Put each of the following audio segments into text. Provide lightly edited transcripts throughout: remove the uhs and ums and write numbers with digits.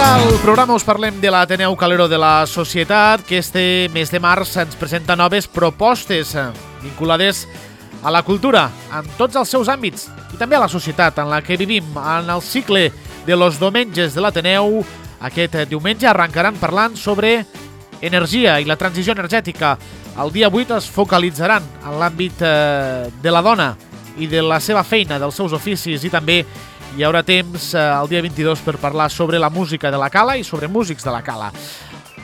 al programa us parlem de l'Ateneu Calero de la Societat, que este mes de març ens presenta noves propostes vinculades a la cultura, en tots els seus àmbits, i també a la societat en la que vivim. En el cicle de los diumenges de l'Ateneu, aquest diumenge arrencaran parlant sobre energia i la transició energètica. El dia 8 es focalitzaran en l'àmbit de la dona i de la seva feina, dels seus oficis, i també hi haurà temps el dia 22 per parlar sobre la música de la Cala i sobre músics de la Cala.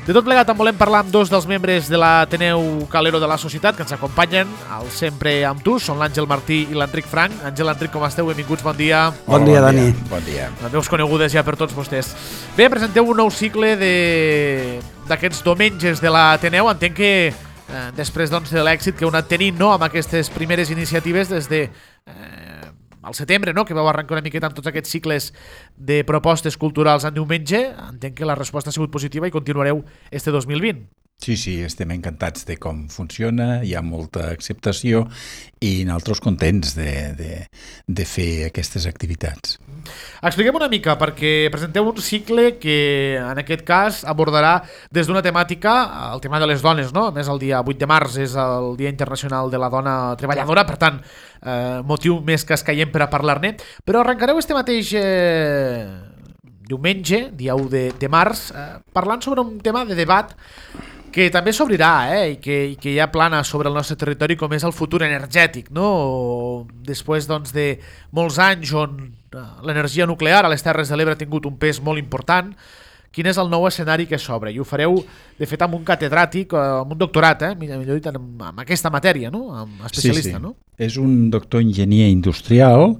De tot plegat en volem parlar amb dos dels membres de l'Ateneu Calero de la Societat que ens acompanyen, el Sempre amb tu, són l'Àngel Martí i l'Enric Frank. Àngel, Enric, com esteu? Benvinguts, bon dia. Bon dia, Dani. Bon dia. Les veus conegudes ja per tots vostès. Bé, presenteu un nou cicle d'aquests diumenges de l'Ateneu. Entenc que després de l'èxit que heu anat tenint amb aquestes primeres iniciatives des de al setembre, que vau arrencar una miqueta amb tots aquests cicles de propostes culturals en diumenge, entenc que la resposta ha sigut positiva i continuareu este 2020. Sí, estem encantats de com funciona, hi ha molta acceptació i nosaltres contents de fer aquestes activitats. Expliquem una mica, perquè presenteu un cicle que en aquest cas abordarà des d'una temàtica, el tema de les dones, no? A més, el dia 8 de març és el Dia Internacional de la Dona Treballadora, per tant, motiu més que escaient per a parlar-ne, però arrencareu este mateix diumenge, dia 1 de març, parlant sobre un tema de debat que també s'obrirà i que ja plana sobre el nostre territori, com és el futur energètic, no? Després de molts anys on l'energia nuclear a les Terres de l'Ebre ha tingut un pes molt important, quin és el nou escenari que s'obre? I ho fareu, de fet, amb un catedràtic, amb un doctorat, millor dit, amb aquesta matèria, no? Amb especialista, sí. No? És un doctor enginyer industrial,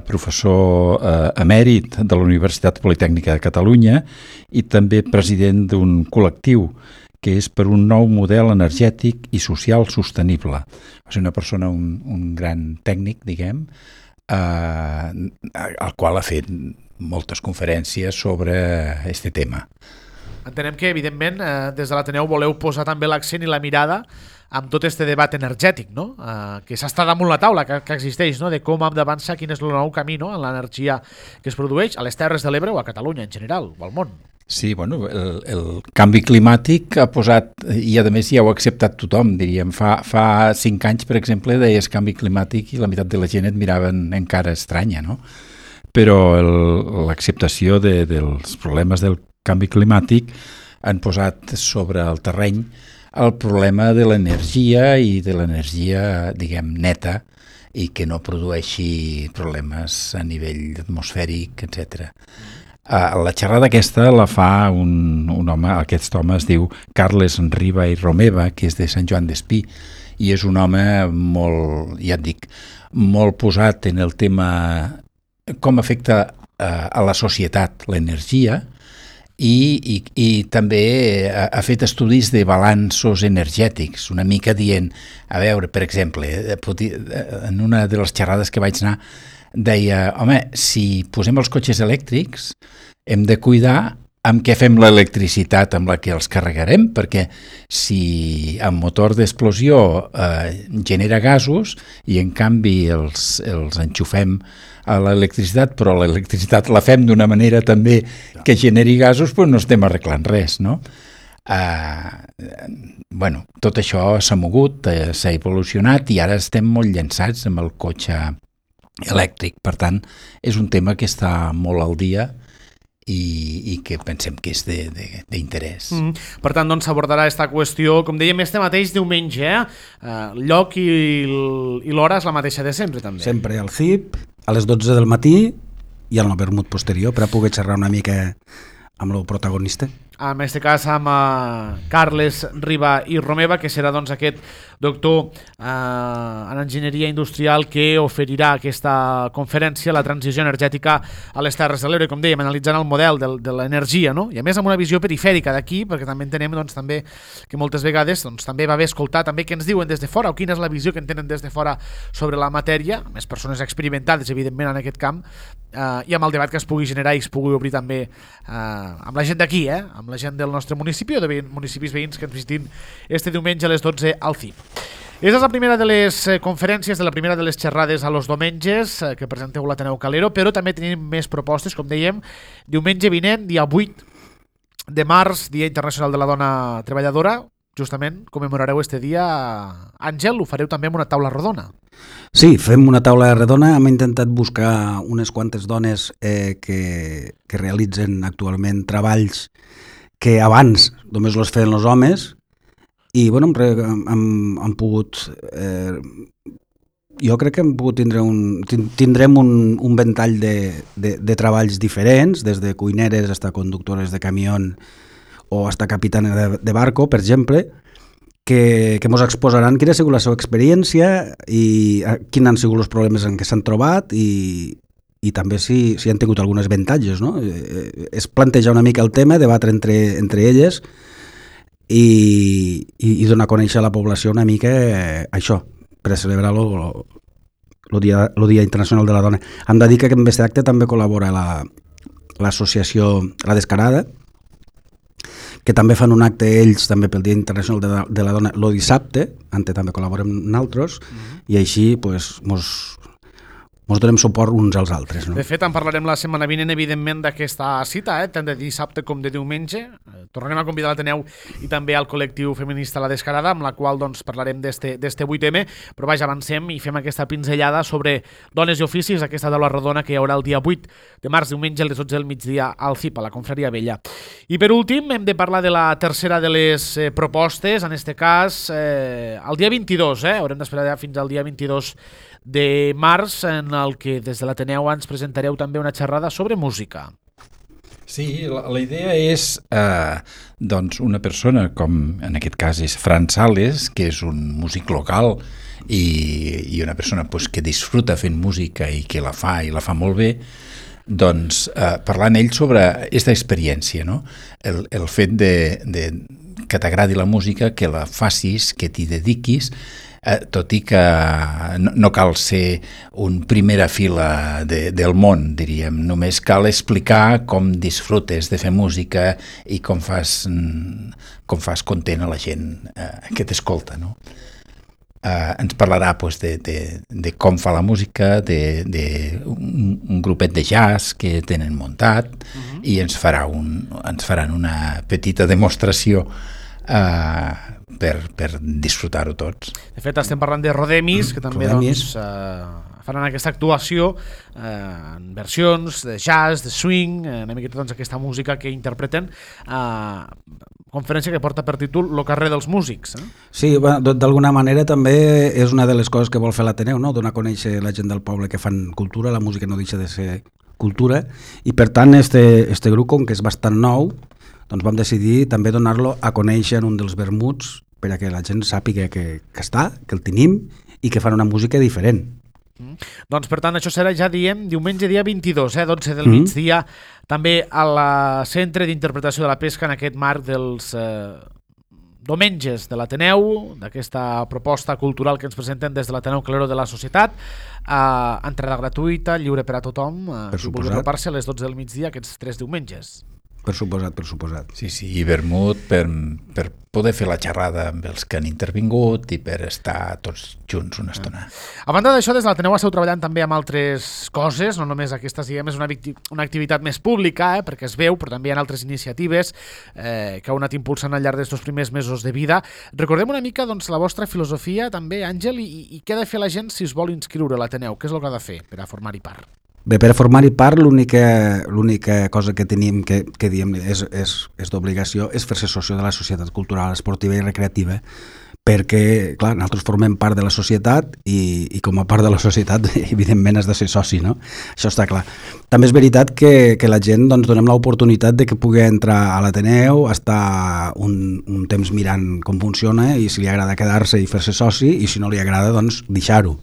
professor emèrit de la Universitat Politècnica de Catalunya i també president d'un col·lectiu que és per un nou model energètic i social sostenible. És una persona, un gran tècnic, diguem, al qual ha fet moltes conferències sobre aquest tema. Entenem que, evidentment, des de l'Ateneu voleu posar també l'accent i la mirada amb tot este debat energètic, no? Que s'està damunt la taula, que existeix, no? De com hem d'avançar, quin és el nou camí, no? En l'energia que es produeix a les Terres de l'Ebre o a Catalunya en general, o al món. Sí, bueno, el canvi climàtic ha posat, i a més ja ho ha acceptat tothom, diríem, fa 5 anys, per exemple, deies canvi climàtic i la meitat de la gent et miraven encara estranya, no? Però l'acceptació dels problemes del canvi climàtic han posat sobre el terreny el problema de l'energia i de l'energia, diguem, neta i que no produeixi problemes a nivell atmosfèric, etc. La xerrada aquesta la fa un home, aquest home es diu Carles Riba i Romeva, que és de Sant Joan d'Espí, i és un home molt, ja et dic, molt posat en el tema com afecta a la societat l'energia i també ha fet estudis de balanços energètics, una mica dient, a veure, per exemple, en una de les xerrades que vaig anar, deia, home, si posem els cotxes elèctrics hem de cuidar amb què fem l'electricitat amb la que els carregarem, perquè si amb motor d'explosió genera gasos i en canvi els enxufem a l'electricitat, però l'electricitat la fem d'una manera també que generi gasos, doncs no estem arreglant res, no? Bueno, tot això s'ha mogut, s'ha evolucionat i ara estem molt llançats amb el cotxe elèctric. Per tant, és un tema que està molt al dia i que pensem que és d'interès. Per tant, doncs s'abordarà aquesta qüestió, com dèiem, este mateix diumenge, el lloc i l'hora és la mateixa de sempre, també. Sempre al CIP, a les 12 del matí i al vermut posterior, per a poder xerrar una mica amb el protagonista. En aquest cas amb Carles Riba i Romeva, que serà doncs aquest doctor en enginyeria industrial que oferirà aquesta conferència, la transició energètica a les Terres de l'Ebre, com dèiem, analitzant el model de l'energia, no? I a més amb una visió perifèrica d'aquí, perquè també entenem doncs, també que moltes vegades doncs, també va bé escoltar també què ens diuen des de fora o quina és la visió que en tenen des de fora sobre la matèria, més persones experimentades evidentment en aquest camp, i amb el debat que es pugui generar i es pugui obrir també amb la gent d'aquí, amb la gent del nostre municipi o de municipis veïns que ens visitin este diumenge a les 12 al CIP. És la primera de les conferències, de la primera de les xerrades a los diumenges que presenteu l'Ateneu Calero, però també tenim més propostes, com dèiem, diumenge vinent, dia 8 de març, Dia Internacional de la Dona Treballadora, justament commemorareu este dia. Àngel, ho fareu també amb una taula rodona. Sí, fem una taula redona. Hem intentat buscar unes quantes dones que realitzen actualment treballs que abans només els feien els homes, i bueno, hem pogut jo crec que hem pogut tindrem un ventall de treballs diferents, des de cuineres fins a conductores de camió o fins a capitanes de barco, per exemple, que ens exposaran quina ha sigut la seva experiència i quins han sigut els problemes en què s'han trobat i també si han tingut alguns avantatges, no? Es planteja una mica el tema, debatre entre elles i donar a conèixer a la població una mica això, per celebrar el Dia Internacional de la Dona. Hem de dir que en aquest acte també col·labora l'associació La Descarada, que també fan un acte ells també pel Dia Internacional de la Dona el dissabte, també col·laborem nosaltres, i així pues, ens donem suport uns als altres. No? De fet, en parlarem la setmana vinent, evidentment, d'aquesta cita, tant de dissabte com de diumenge. Tornarem a convidar l'Ateneu i també al col·lectiu feminista La Descarada, amb la qual doncs, parlarem d'este 8M, però vaja, avancem i fem aquesta pinzellada sobre dones i oficis, aquesta taula rodona que hi haurà el dia 8 de març, diumenge, a les 12 del migdia al CIP, a la Confraria Vella. I per últim, hem de parlar de la tercera de les propostes, en este cas, el dia 22, haurem d'esperar fins al dia 22 de març, en el que des de l'Ateneu ens presentareu també una xerrada sobre música. Sí, la idea és doncs una persona, com en aquest cas és Fran Sales, que és un músic local i una persona pues, que disfruta fent música i que la fa molt bé, doncs parlant ell sobre aquesta experiència, no? El fet que t'agradi la música, que la facis, que t'hi dediquis, tot i que no cal ser un primera fila del món, diríem. Només cal explicar com disfrutes de fer música i com fas content a la gent que t'escolta, no? Ens parlarà pues, de com fa la música, d'un grupet de jazz que tenen muntat, i ens faran una petita demostració per disfrutar-ho tots. De fet, estem parlant de Rodemis, que també doncs, faran aquesta actuació en versions de jazz, de swing, una miqueta doncs, aquesta música que interpreten, conferència que porta per títol Lo carrer dels músics. Sí, d'alguna manera també és una de les coses que vol fer l'Ateneu, no? Donar a conèixer la gent del poble que fan cultura, la música no deixa de ser cultura, i per tant este grup, com que és bastant nou, doncs vam decidir també donar-lo a conèixer en un dels vermuts perquè la gent sàpiga que està, que el tenim i que fan una música diferent. Doncs per tant això serà, ja diem, diumenge dia 22, 12 del migdia, també al Centre d'Interpretació de la Pesca, en aquest marc dels diumenges de l'Ateneu, d'aquesta proposta cultural que ens presenten des de l'Ateneu Calero de la Societat, entrada gratuïta, lliure per a tothom, qui vulgui apropar-se a les 12 del migdia aquests 3 diumenges. Per suposat. Sí, i vermut per poder fer la xerrada amb els que han intervingut i per estar tots junts una estona. A banda d'això, des de l'Ateneu esteu treballant també amb altres coses, no només aquestes, diguem, és una activitat més pública, perquè es veu, però també hi ha altres iniciatives que heu anat impulsant al llarg d'aquests primers mesos de vida. Recordem una mica doncs, la vostra filosofia també, Àngel, i què ha de fer la gent si es vol inscriure a l'Ateneu? Què és el que ha de fer per a formar-hi part? Bé, per a formar-hi part, l'única cosa que tenim que diem és d'obligació és fer-se soci de la Societat Cultural, Esportiva i Recreativa, perquè, clar, nosaltres formem part de la societat i com a part de la societat, evidentment, has de ser soci, no? Això està clar. També és veritat que la gent doncs, donem l'oportunitat de que pugui entrar a l'Ateneu, estar un temps mirant com funciona i si li agrada quedar-se i fer-se soci, i si no li agrada, doncs, deixar-ho.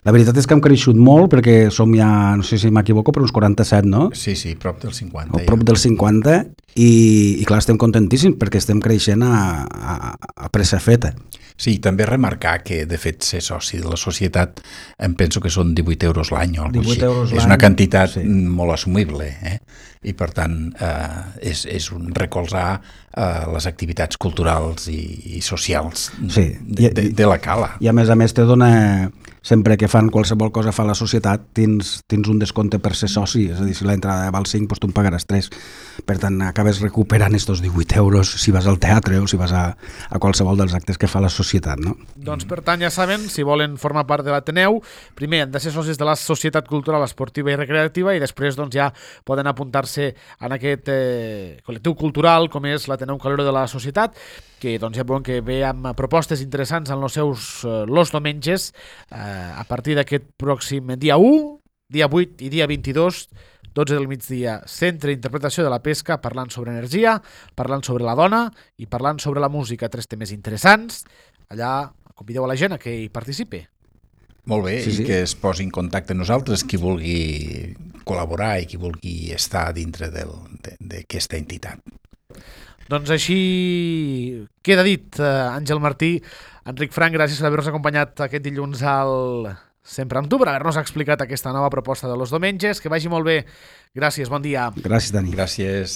La veritat és que hem creixut molt perquè som ja, no sé si m'equivoco, però uns 47, no? Sí, prop del 50. Prop del 50 i clar, estem contentíssims perquè estem creixent a pressa feta. Sí, també remarcar que, de fet, ser soci de la societat em penso que són 18 euros l'any o alguna cosa així. És una quantitat molt assumible, i per tant és un recolzar les activitats culturals i socials de la cala. I a més te dona, sempre que fan qualsevol cosa fa la societat, tens un descompte per ser soci, és a dir, si l'entrada val 5, doncs tu en pagaràs 3. Per tant, acabes recuperant estos 18 euros si vas al teatre o si vas a qualsevol dels actes que fa la societat, no? Doncs per tant, ja saben, si volen formar part de l'Ateneu, primer han de ser socis de la Societat Cultural Esportiva i Recreativa i després doncs, ja poden apuntar-se en aquest col·lectiu cultural com és l'Ateneu Calero de la Societat, que doncs, ja veuen que ve amb propostes interessants en els seus los diumenges a partir d'aquest pròxim dia 1, dia 8 i dia 22, 12 del migdia, Centre d'Interpretació de la Pesca, parlant sobre energia, parlant sobre la dona i parlant sobre la música, 3 temes interessants. Allà convideu a la gent a que hi participi. Molt bé, sí. I que es posi en contacte amb nosaltres qui vulgui col·laborar i qui vulgui estar dintre d'aquesta entitat. Doncs així queda dit, Àngel Martí. Enric Frank, gràcies per haver-nos acompanyat aquest dilluns al Sempre amb tu, per haver-nos explicat aquesta nova proposta de los diumenges. Que vagi molt bé. Gràcies, bon dia. Gràcies, Dani. Gràcies.